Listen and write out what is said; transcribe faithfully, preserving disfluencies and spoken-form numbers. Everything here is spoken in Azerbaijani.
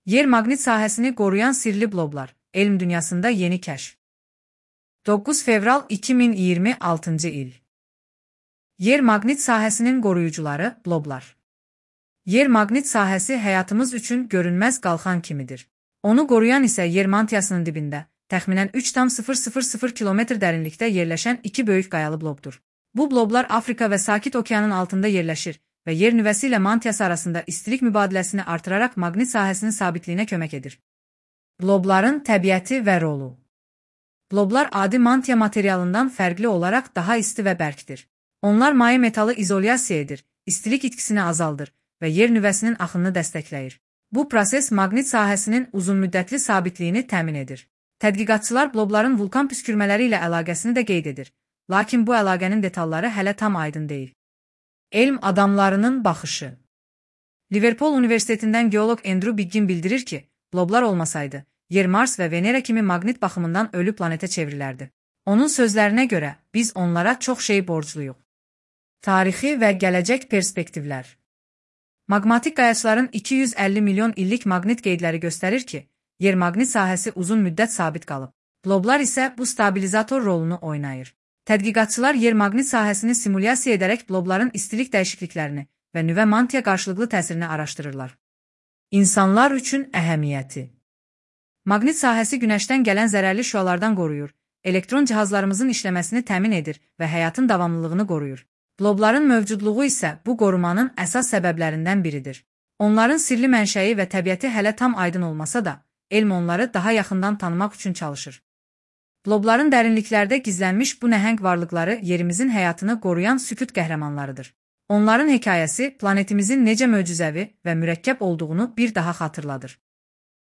Yer maqnit sahəsini qoruyan sirli bloblar. Elm dünyasında yeni kəşf. doqquz fevral iki min iyirmi altıncı il. Yer maqnit sahəsinin qoruyucuları bloblar. Yer maqnit sahəsi həyatımız üçün görünməz qalxan kimidir. Onu qoruyan isə yer mantiyasının dibində, təxminən üç tam sıfır sıfır sıfır kilometr dərinlikdə yerləşən iki böyük qayalı blobdur. Bu bloblar Afrika və Sakit Okeanın altında yerləşir və yer nüvəsi ilə mantiyası arasında istilik mübadiləsini artıraraq maqnit sahəsinin sabitliyinə kömək edir. Blobların təbiəti və rolu. Bloblar adi mantiya materialından fərqli olaraq daha isti və bərkdir. Onlar maye metalı izolyasiya edir, istilik itkisini azaldır və yer nüvəsinin axınını dəstəkləyir. Bu proses maqnit sahəsinin uzunmüddətli sabitliyini təmin edir. Tədqiqatçılar blobların vulkan püskürmələri ilə əlaqəsini də qeyd edir, lakin bu əlaqənin detalları hələ tam aydın deyil. Elm adamlarının baxışı. Liverpool Universitetindən geoloq Andrew Biggin bildirir ki, bloblar olmasaydı, yer Mars və Venera kimi maqnit baxımından ölü planetə çevrilərdi. Onun sözlərinə görə, biz onlara çox şey borcluyuq. Tarixi və gələcək perspektivlər. Maqmatik qayaçların iki yüz əlli milyon illik maqnit qeydləri göstərir ki, yer maqnit sahəsi uzun müddət sabit qalıb. Bloblar isə bu stabilizator rolunu oynayır. Tədqiqatçılar yer maqnit sahəsini simulyasiya edərək blobların istilik dəyişikliklərini və nüvə mantiya qarşılıqlı təsirini araşdırırlar. İnsanlar üçün əhəmiyyəti. Maqnit sahəsi günəşdən gələn zərərli şüalardan qoruyur, elektron cihazlarımızın işləməsini təmin edir və həyatın davamlılığını qoruyur. Blobların mövcudluğu isə bu qorumanın əsas səbəblərindən biridir. Onların sirli mənşəyi və təbiəti hələ tam aydın olmasa da, elm onları daha yaxından tanımaq üçün çalışır. Blobların dərinliklərdə gizlənmiş bu nəhəng varlıqları yerimizin həyatını qoruyan sükut qəhrəmanlarıdır. Onların hekayəsi planetimizin necə möcüzəvi və mürəkkəb olduğunu bir daha xatırladır.